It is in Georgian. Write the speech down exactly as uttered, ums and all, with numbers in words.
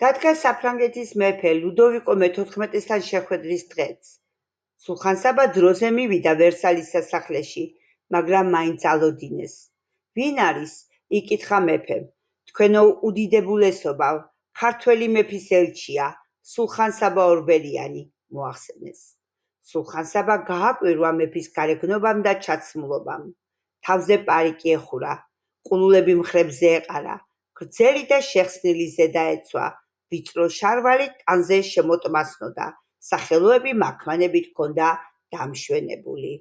დადგა საფრანგეთის მეფე ლუდოვიკო მეთოთხმეტესთან შეხვედრის დღეც. სულხან-საბა დროზე მივიდა ვერსალის სასახლეში, მაგრამ მაინც ალოდინეს. ვინ არის? იკითხა მეფემ. თქვენო უდიდებულესობავ, ქართველი მეფის ელჩია, სულხან-საბა ორბელიანი, მოახსენეს. სულხან-საბა გააკვირვა მეფის გარეგნობამ და ჩაცმულობამ. თავზე პარიკი ეხურა, ყულულები მხრებზე ეყარა, გრძელი და შეხსნილი ზედა ეცვა, ვიწრო შარვალი ტანზე შემოტმასნოდა, სახელოები მაქმანებით ჰქონდა დამშვენებული.